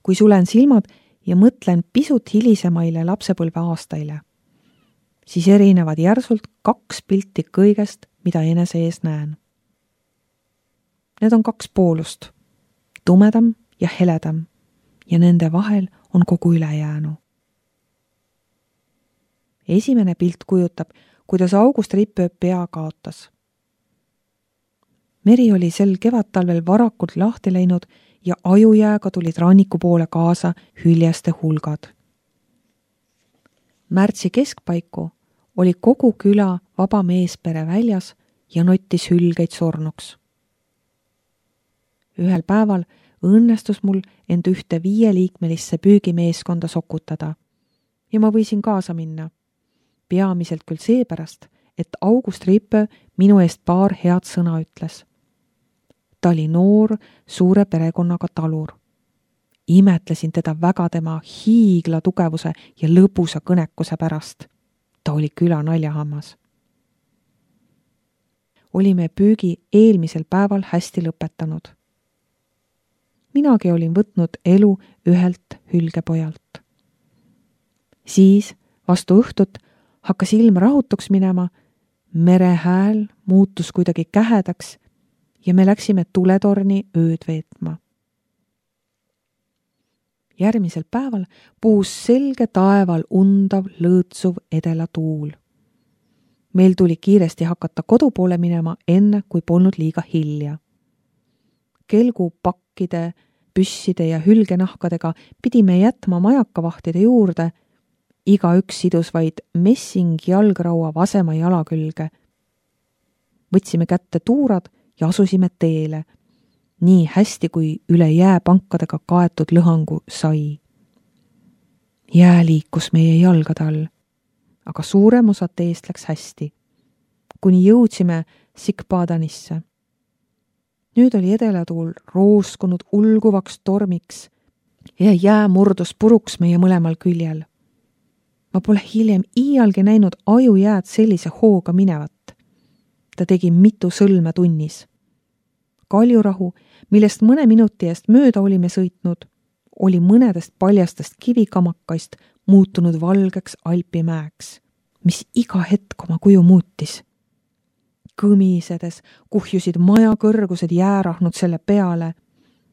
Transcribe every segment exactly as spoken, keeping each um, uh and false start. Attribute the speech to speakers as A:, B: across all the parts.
A: kui sulen silmad ja mõtlen pisut hilisemaile lapsepõlve aastaile, siis erinevad järsult kaks pilti kõigest, mida enese ees näen. Need on kaks poolust, tumedam ja heledam, ja nende vahel on kogu ülejäänu. Esimene pilt kujutab, kuidas August Rippöö pea kaotas. Meri oli sel kevadtalvel varakult lahti läinud ja ajujääga tulid ranniku poole kaasa hüljeste hulgad. Märtsi keskpaiku oli kogu küla vaba meespere väljas ja nottis hülgeid surnuks. Ühel päeval õnnestus mul end ühte viieliikmelisse püügimeeskonda sokutada ja ma võisin kaasa minna. Peamiselt küll seepärast, et August Rippöö minu eest paar head sõna ütles. Ta oli noor, suure perekonnaga talur. Imetlesin teda väga tema hiigla tugevuse ja lõbusa kõnekuse pärast. Ta oli küla naljahammas. Olime püügi eelmisel päeval hästi lõpetanud. Minagi olin võtnud elu ühelt hülgepojalt. Siis vastu õhtut hakkas ilm rahutuks minema, mere hääl muutus kuidagi kähedaks ja me läksime tuletorni ööd veetma. Järgmisel päeval puhus selge taeval undav, lõõtsuv edela tuul. Meil tuli kiiresti hakata kodu poole minema enne, kui polnud liiga hilja. Kelgu pakkide, püsside ja hülgenahkadega pidime jätma majakavahtide juurde. Iga üks sidus vaid messing jalgraua vasema jala külge. Võtsime kätte tuurad ja asusime teele, nii hästi kui üle jääpankadega kaetud lõhangu sai. Jää liikus meie jalgade all, aga suurem osa teest läks hästi, kuni jõudsime Sikpadanisse. Nüüd oli edelatuul rooskunud ulguvaks tormiks ja jää murdus puruks meie mõlemal küljel. Ma pole hiljem iialgi näinud ajujääd sellise hooga minevat. Ta tegi mitu sõlme tunnis. Kaljurahu, millest mõne minuti eest mööda olime sõitnud, oli mõnedest paljastest kivikamakaist muutunud valgeks alpimäeks, mis iga hetk oma kuju muutis. Kõmisedes kuhjusid maja kõrgused jäärahnud selle peale,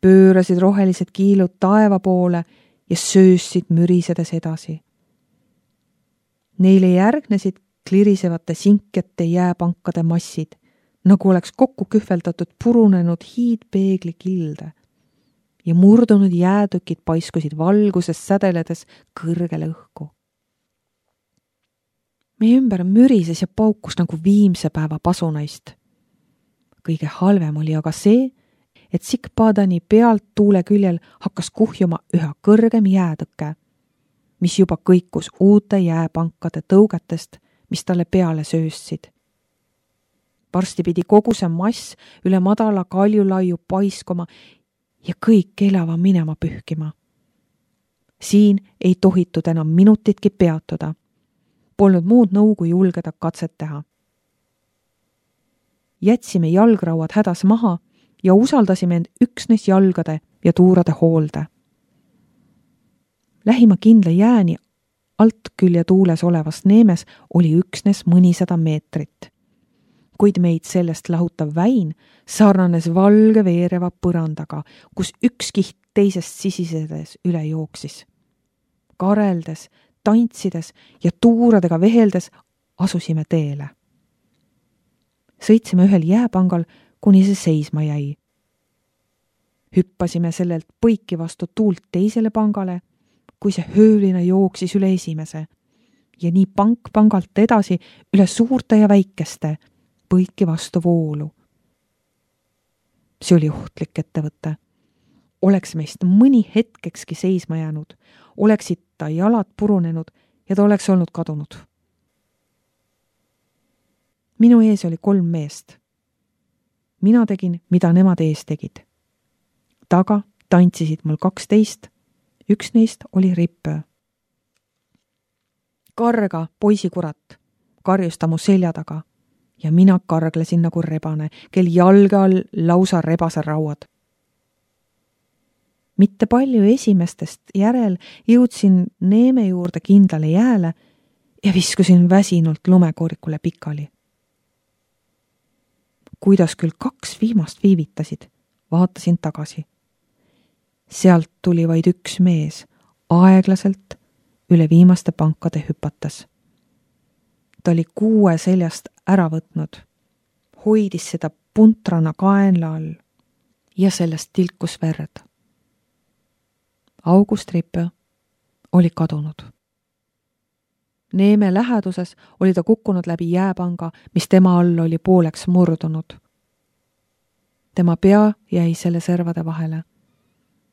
A: pöörasid rohelised kiilud taeva poole ja söössid mürisedes edasi. Neile järgnesid klirisevate sinkete jääpankade massid, nagu oleks kokku kühveldatud purunenud hiidpeegli kilde ja murdunud jäätükid paiskusid valguses sädeledes kõrgele õhku. Meie ümber mürises ja paukus nagu viimse päeva pasunaist. Kõige halvem oli aga see, et Sikpadani pealt tuule küljel hakkas kuhjuma üha kõrgem jäätõke, mis juba kõikus uute jääpankade tõugetest, mis talle peale söössid. Varsti pidi kogu see mass üle madala kaljulaiu paiskoma ja kõik elava minema pühkima. Siin ei tohitud enam minutitki peatuda. Polnud muud nõugu julgeda katset teha. Jätsime jalgrauad hädas maha ja usaldasime end üksnes jalgade ja tuurade hoolde. Lähima kindla jääni alt külje tuules olevas neemes oli üksnes mõnisada meetrit. Kuid meid sellest lahutav väin sarnanes valge veereva põrandaga, kus üks kiht teisest sisisedes üle jooksis. Kareldes, tantsides ja tuuradega veheldes asusime teele. Sõitsime ühel jääpangal, kuni see seisma jäi. Hüppasime sellelt põiki vastu tuult teisele pangale, kui see hööline jooksis üle esimese ja nii pank pangalt edasi üle suurte ja väikeste põiki vastu voolu. See oli ohtlik ettevõte. Oleks meist mõni hetkekski seisma jäänud, oleksid ta jalad purunenud ja ta oleks olnud kadunud. Minu ees oli kolm meest. Mina tegin, mida nemad ees tegid. Taga tantsisid mul kaksteist, üks neist oli Rippöö. Karga, poisikurat, karjus ta mu selja taga ja mina karglesin nagu rebane, kel jalge all lausa rebase rauad. mitte palju esimestest järel jõudsin Neeme juurde kindlale jääle ja viskusin väsinult lumekoorikule pikali. Kuidas küll kaks viimast viivitasid, vaatasin tagasi. Sealt tuli vaid üks mees, aeglaselt üle viimaste pankade hüpates. Ta oli kuue seljast ära võtnud, hoidis seda puntrana kaenla all ja sellest tilkus verd. August Rippe oli kadunud. Neeme läheduses oli ta kukkunud läbi jääpanga, mis tema all oli pooleks murdunud. Tema pea jäi selle servade vahele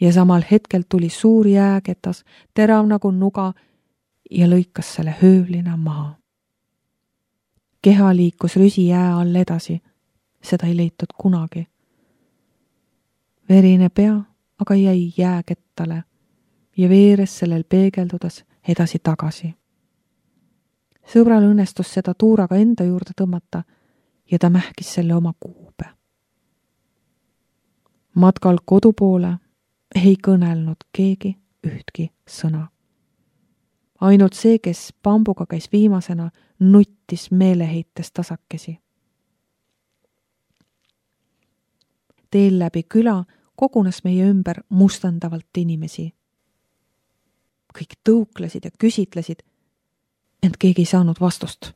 A: ja samal hetkel tuli suur jääketas, terav nagu nuga ja lõikas selle höövlina maha. Keha liikus rüsi jää all edasi, seda ei leitud kunagi. Verine pea aga jäi jääkettale ja veeres sellel peegeldudes edasi tagasi. Sõbral õnnestus seda tuuraga enda juurde tõmmata ja ta mähkis selle oma kuube. Matkal kodu poole ei kõnelnud keegi ühtki sõna. Ainult see, kes pambuga käis viimasena, nuttis meeleheites tasakesi. Teel läbi küla kogunes meie ümber mustandavalt inimesi. Kõik tõuklesid ja küsitlesid, ent keegi ei saanud vastust.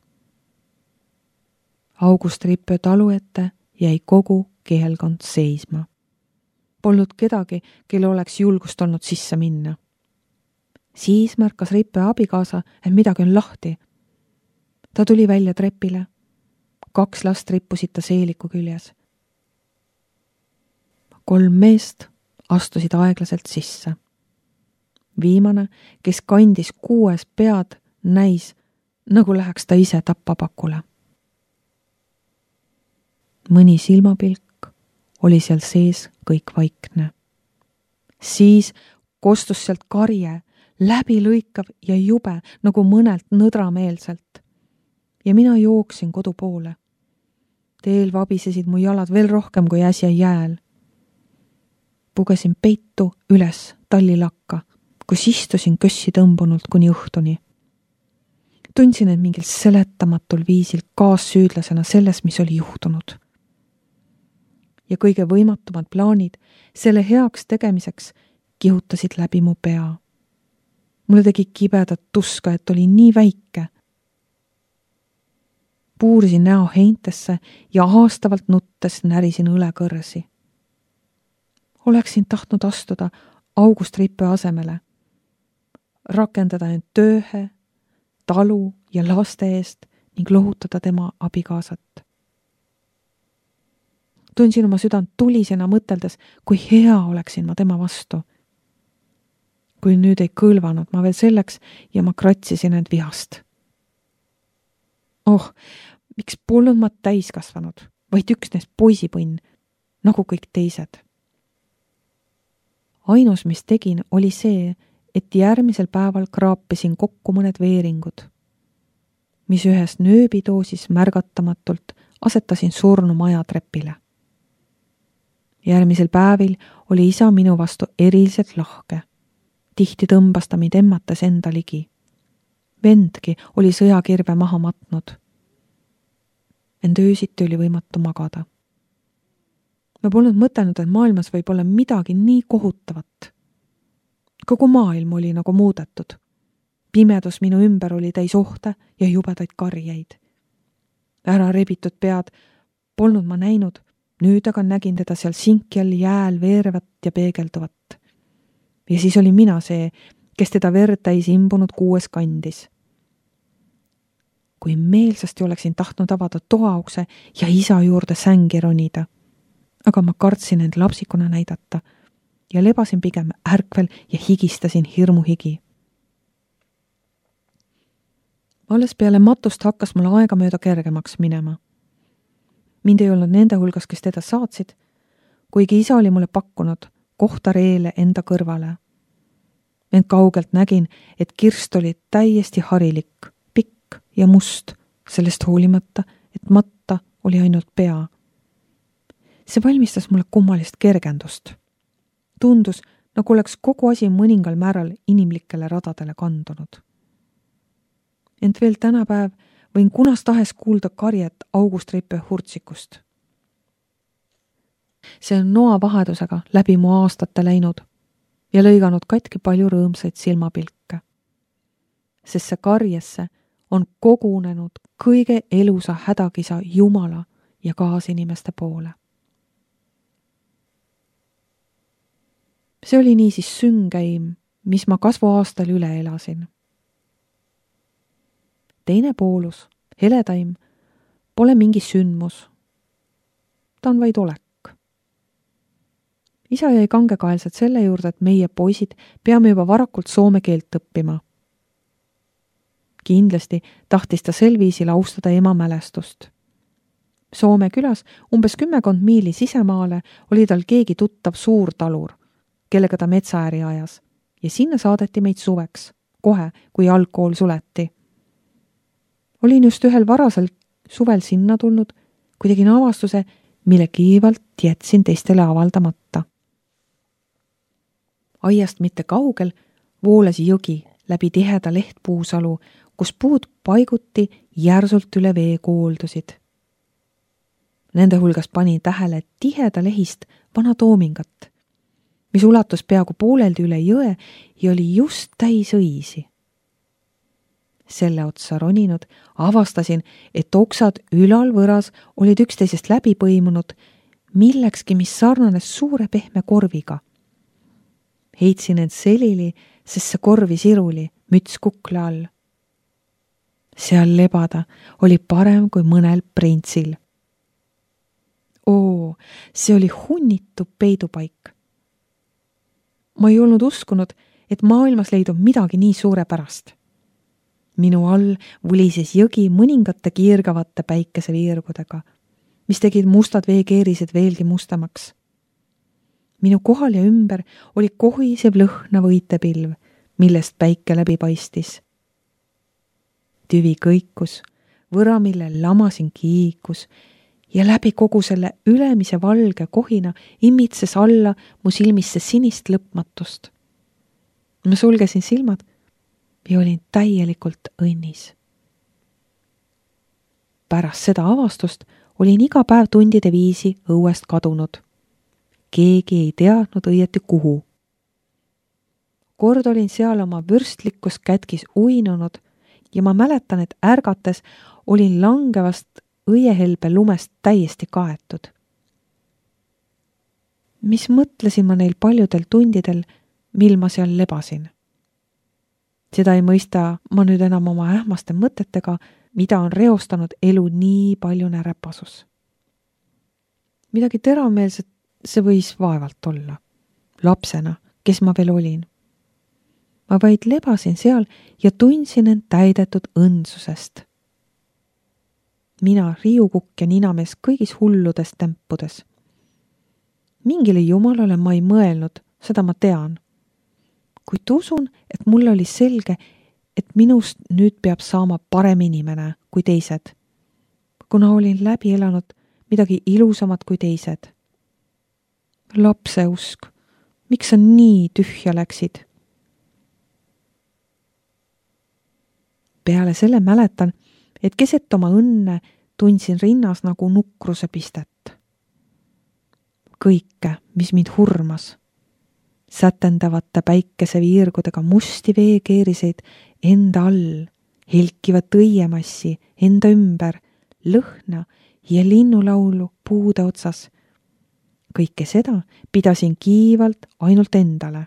A: August Rippe talu ette jäi kogu kihelkond seisma. Polnud kedagi, kelle oleks julgust olnud sisse minna. Siis märkas Rippe abikaasa, et midagi on lahti. Ta tuli välja trepile. Kaks last rippusid ta seeliku küljes. Kolm meest astusid aeglaselt sisse. Viimane, kes kandis kuues pead, näis, nagu läheks ta ise tappapakule. Mõni silmapilk oli seal sees kõik vaikne. Siis kostus sealt karje, läbilõikav ja jube, nagu mõnelt nõdrameelselt. Ja mina jooksin kodu poole. Teel vabisesid mu jalad veel rohkem kui äsja jääl. Pugesin peitu üles tallilakka, kus istusin kössi tõmbunult kuni õhtuni. Tundsin end mingil seletamatul viisil kaassüüdlasena selles, mis oli juhtunud. Ja kõige võimatumad plaanid selle heaks tegemiseks kihutasid läbi mu pea. Mulle tegi kibedat tuska, et oli nii väike. Puurisin näo heintesse ja haastavalt nuttes närisin õlekõrsi. Oleksin tahtnud astuda August Rippe asemele, rakendada end tööhe, talu ja laste eest ning lohutada tema abikaasat. Tundsin oma südant tulisena mõteldes, kui hea oleksin ma tema vastu. Kui nüüd ei kõlvanud ma veel selleks ja ma kratsisin end vihast. Oh, miks polnud ma täiskasvanud, vaid üksnes poisipõnn, nagu kõik teised. Ainus, mis tegin, oli see, et järgmisel päeval kraapisin kokku mõned veeringud, mis ühes nööbidoosis märgatamatult asetasin surnu maja trepile. Järgmisel päevil oli isa minu vastu eriliselt lahke. Tihti tõmbas ta mind emmates enda ligi. Vendki oli sõjakirve maha matnud. Ent öösiti oli võimatu magada. Ma polnud mõtelnud, et maailmas võib olla midagi nii kohutavat. Kogu maailm oli nagu muudetud. Pimedus minu ümber oli täis ohte ja jubedaid karjeid. Ära rebitud pead polnud ma näinud, nüüd aga nägin teda seal sinkjal jääl veerevat ja peegelduvat. Ja siis oli mina see, kes teda verd täis imbunud kuues kandis. Kui meelsasti oleksin tahtnud avada toaukse ja isa juurde sängi ronida, aga ma kartsin end lapsikuna näidata ja lebasin pigem ärkvel ja higistasin hirmuhigi. Alles peale matust hakkas mulle aega mööda kergemaks minema. Mind ei olnud nende hulgas, kes teda saatsid, kuigi isa oli mulle pakkunud kohta reele enda kõrvale. Ent kaugelt nägin, et kirst oli täiesti harilik, pikk ja must, sellest hoolimata, et matta oli ainult pea. See valmistas mulle kummalist kergendust. Tundus, nagu oleks kogu asi mõningal määral inimlikele radadele kandunud. Ent veel tänapäev võin kunas tahes kuulda karjet August Reipe hurtsikust. See on noa vahedusega läbi mu aastate läinud ja lõiganud katki palju rõõmsaid silmapilke. Sest see karjesse on kogunenud kõige elusa hädakisa Jumala ja kaasinimeste poole. See oli niisiis süngeim, mis ma kasvuaastal üle elasin. Teine poolus, heledaim, pole mingi sündmus. Ta on vaid olek. Isa jäi kangekaelselt selle juurde, et meie poisid peame juba varakult soome keelt õppima. Kindlasti tahtis ta sel viisil austada ema mälestust. Soome külas umbes kümmekond miili sisemaale oli tal keegi tuttav suur talur, kellega ta metsaäri ajas, ja sinna saadeti meid suveks, kohe, kui algkool suleti. Olin just ühel varasel suvel sinna tulnud, kui tegin avastuse, mille kiivalt jätsin teistele avaldamata. Aiast mitte kaugel voolas jõgi läbi tiheda lehtpuusalu, kus puud paiguti järsult üle vee kooldusid. Nende hulgas panin tähele tiheda lehist vana toomingat, mis ulatus peaaegu pooleldi üle jõe ja oli just täis õisi. Selle otsa roninud avastasin, et oksad ülal võras olid üksteisest läbi põimunud millekski, mis sarnanes suure pehme korviga. Heitsin end selili, sest see korvi siruli, müts kukle all. Seal lebada oli parem kui mõnel printsil. Oo, see oli hunnitu peidupaik. Ma ei olnud uskunud, et maailmas leidub midagi nii suurepärast. Minu all vulises jõgi mõningate kiirgavate päikeseviirgudega, mis tegid mustad veekeerised veelgi mustamaks. Minu kohal ja ümber oli kohisev lõhnav õitepilv, millest päike läbi paistis. Tüvi kõikus, võramille lamasin kiikus ja läbi kogu selle ülemise valge kohina imitses alla mu silmisse sinist lõpmatust. Ma sulgesin silmad ja olin täielikult õnnis. Pärast seda avastust olin iga päev tundide viisi õuest kadunud. Keegi ei teadnud õieti kuhu. Kord olin seal oma vürstlikus kätkis uinunud ja ma mäletan, et ärgates olin langevast õiehelbe lumest täiesti kaetud. Mis mõtlesin ma neil paljudel tundidel, mil ma seal lebasin? Seda ei mõista ma nüüd enam oma ähmaste mõtetega, mida on reostanud elu nii palju närepasus. Midagi teravmeelset see võis vaevalt olla. Lapsena, kes ma veel olin. Ma vaid lebasin seal ja tundsin end täidetud õndsusest. Mina riiukukk ja ninamees kõigis hulludes tempudes. Mingile jumalale ma ei mõelnud, seda ma tean. Kuid usun, et mulle oli selge, et minust nüüd peab saama parem inimene kui teised, kuna olin läbi elanud midagi ilusamat kui teised. Lapse usk, miks sa nii tühja läksid? Peale selle mäletan, et keset oma õnne tundsin rinnas nagu nukruse pistet. Kõike, mis mind hurmas. Sätendavate päikeseviirgudega musti veekeeriseid enda all, helkivat õiemassi enda ümber, lõhna ja linnulaulu puude otsas. Kõike seda pidasin kiivalt ainult endale.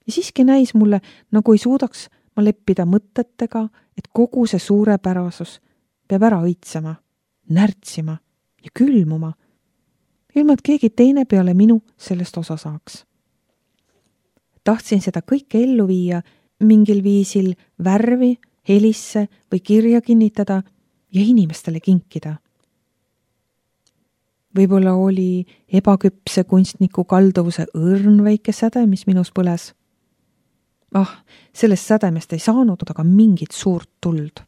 A: Ja siiski näis mulle, nagu ei suudaks ma leppida mõtetega, et kogu see suurepärasus peab ära õitsema, närtsima ja külmuma, ilma et keegi teine peale minu sellest osa saaks. Tahtsin seda kõike ellu viia, mingil viisil värvi, helisse või kirja kinnitada ja inimestele kinkida. Võib-olla oli ebaküpse kunstniku kalduvuse õrn väike säde, mis minus põles. Ah, sellest sädemest ei saanud aga mingit suurt tuld.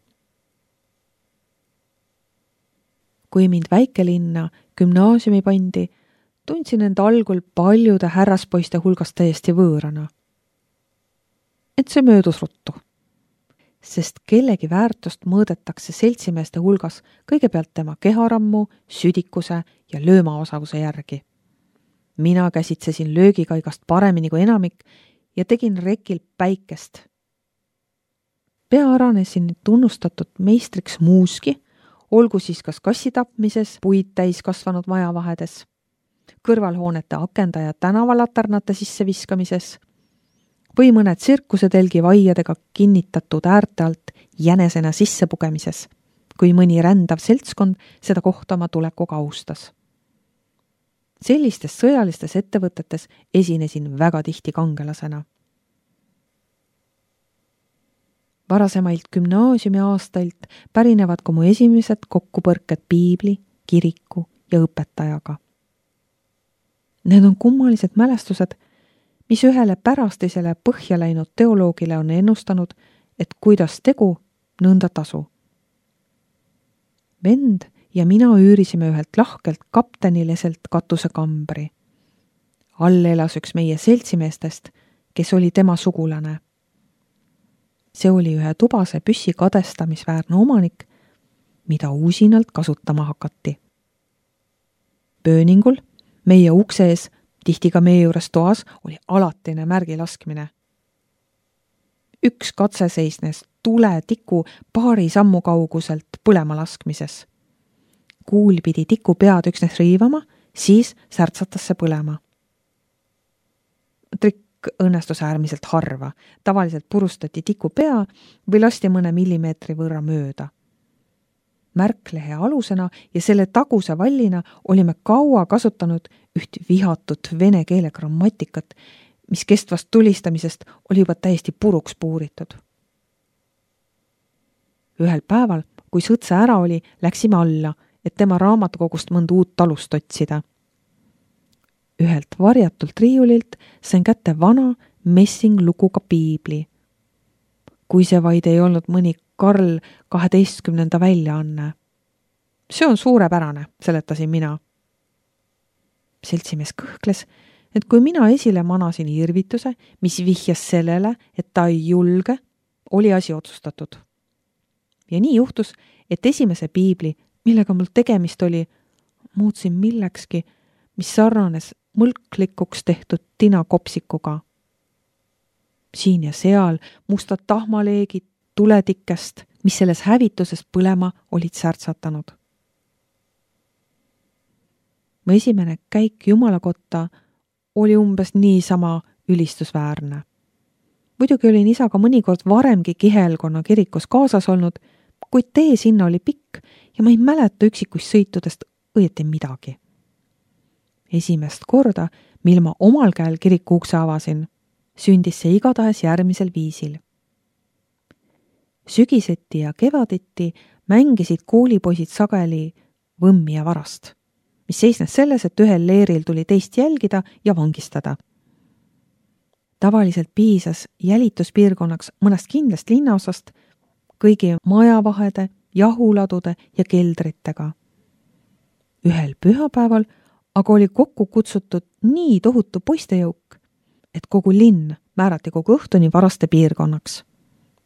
A: Kui mind väikelinna gümnaasiumi pandi, tundsin end algul paljude härraspoiste hulgast täiesti võõrana. Et see möödus ruttu. Sest kellegi väärtust mõõdetakse seltsimeeste hulgas kõigepealt tema keharammu, südikuse ja löömaosavuse järgi. Mina käsitsesin löögikaigast paremini kui enamik ja tegin rekil päikest. Pea aranesin tunnustatud meistriks muuski, olgu siis kas kassi tapmises, puid täis kasvanud majavahedes, kõrvalhoonete akenda ja tänavalaternate sisseviskamises või mõne tsirkusetelgi vaiadega kinnitatud äärte alt jänesena sissepugemises, kui mõni rändav seltskond seda kohta oma tulekuga austas. Sellistes sõjalistes ettevõtetes esinesin väga tihti kangelasena. Varasemailt gümnaasiumi aastailt pärinevad ka mu esimesed kokkupõrked piibli, kiriku ja õpetajaga. Need on kummalised mälestused, mis ühele pärastisele põhja läinud teoloogile on ennustanud, et kuidas tegu, nõnda tasu. Vend ja mina üürisime ühelt lahkelt kaptenileselt katusekambri. All elas üks meie seltsimeestest, kes oli tema sugulane. See oli ühe tubase püssi kadestamisväärne omanik, mida uusinalt kasutama hakati. Pööningul, meie ukse ees, tihti ka meie juures toas, oli alatine märgi laskmine. Üks katse seisnes tule tiku paari sammu kauguselt põlema laskmises. Kuul pidi tiku pead üksnes riivama, siis särtsatas see põlema. Trikk õnnestus äärmiselt harva. Tavaliselt purustati tiku pea või lasti mõne millimeetri võrra mööda. Märklehe alusena ja selle taguse vallina olime kaua kasutanud üht vihatut vene keele grammatikat, mis kestvast tulistamisest oli juba täiesti puruks puuritud. Ühel päeval, kui sõtse ära oli, läksime alla, et tema raamatukogust mõnd uut talust otsida. Ühelt varjatult riiulilt sain kätte vana messinglukuga piibli. Kui see vaid ei olnud mõni Karl kaheteistkümnenda väljaanne. See on suurepärane, seletasin mina. Seltsimees kõhkles, et kui mina esile manasin irvituse, mis vihjas sellele, et ta ei julge, oli asi otsustatud. Ja nii juhtus, et esimese piibli, millega mul tegemist oli, muutsin millekski, mis sarnanes mõlklikuks tehtud tinakopsikuga. Siin ja seal mustad tahmaleegid tuletikest, mis selles hävituses põlema olid särtsatanud. Mu esimene käik Jumala kotta oli umbes niisama ülistusväärne. Muidugi olin isaga mõnikord varemgi Kihelkonna kirikus kaasas olnud, kuid tee sinna oli pikk ja ma ei mäleta üksikuist sõitudest õieti midagi. Esimest korda, mil ma omal käel kiriku ukse avasin, sündis see igatahes järgmisel viisil. Sügiseti ja kevaditi mängisid koolipoisid sageli võmmi ja varast, mis seisnes selles, et ühel leeril tuli teist jälgida ja vangistada. Tavaliselt piisas jälituspiirkonnaks mõnest kindlast linnaosast kõigi majavahede, jahuladude ja keldritega. Ühel pühapäeval aga oli kokku kutsutud nii tohutu poistejõuk, et kogu linn määrati kogu õhtuni varaste piirkonnaks.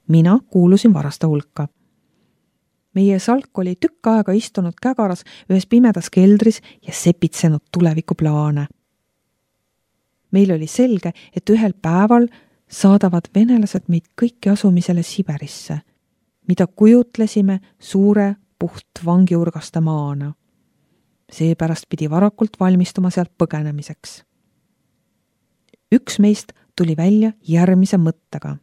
A: Mina kuulusin varaste hulka. Meie salk oli tükk aega istunud kägaras ühes pimedas keldris ja sepitsenud tulevikuplaane. Meil oli selge, et ühel päeval saadavad venelased meid kõiki asumisele Siberisse, mida kujutlesime suure puht vangiurgaste maana. Seepärast pidi varakult valmistuma sealt põgenemiseks. Üks meist tuli välja järgmise mõttega.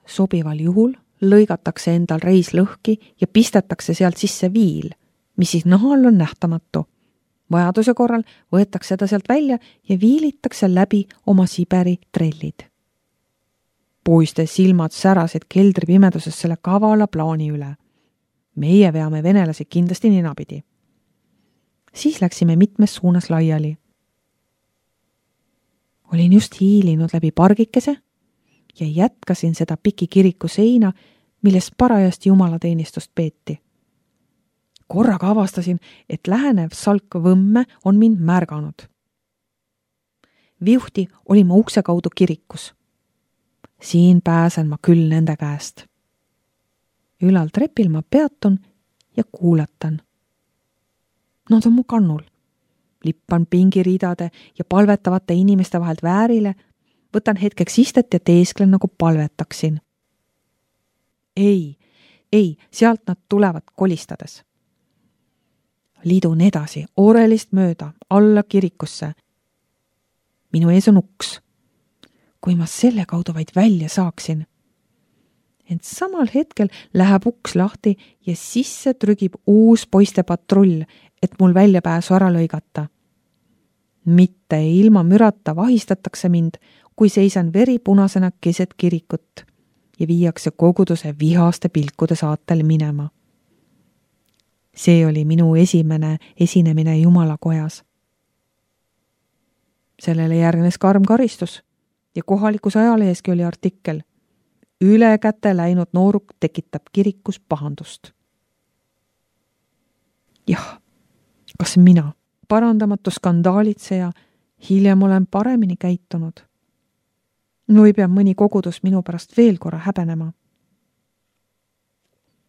A: Sobival juhul lõigatakse endal reis lõhki ja pistetakse sealt sisse viil, mis siis nahal on nähtamatu. Vajaduse korral võetakse ta sealt välja ja viilitakse läbi oma Siberi trellid. Poiste silmad särasid keldri pimeduses selle kavala plaani üle. Meie veame venelasi kindlasti ninapidi. Siis läksime mitmes suunas laiali. Olin just hiilinud läbi pargikese ja jätkasin seda piki kiriku seina, milles parajasti jumalateenistust peeti. korraga avastasin, et lähenev salk Võmme on mind märganud. Viuhti oli ma ukse kaudu kirikus. Siin pääsen ma küll nende käest. Ülal trepil ma peatun ja kuulatan. Nad on mu kannul. Lippan pingiridade ja palvetavate inimeste vahelt väärile, võtan hetkeks istet ja teesklen nagu palvetaksin. Ei, ei, sealt nad tulevad kolistades. Liidun edasi, Orelist mööda, alla kirikusse. Minu ees on uks. Kui ma selle kaudu vaid välja saaksin. Ent samal hetkel läheb uks lahti ja sisse trügib uus poiste patrull, et mul väljapääsu ära lõigata. Mitte ilma mürata vahistatakse mind, kui seisan veripunasena keset kirikut ja viiakse koguduse vihaste pilkude saatel minema. See oli minu esimene esinemine Jumalakojas. Sellele järgnes karm karistus ja kohalikus ajaleheski oli artikkel Üle käte läinud nooruk tekitab kirikus pahandust. Jah, kas mina, parandamatu skandaalitseja, hiljem olen paremini käitunud? Või peab mõni kogudus minu pärast veel korra häbenema?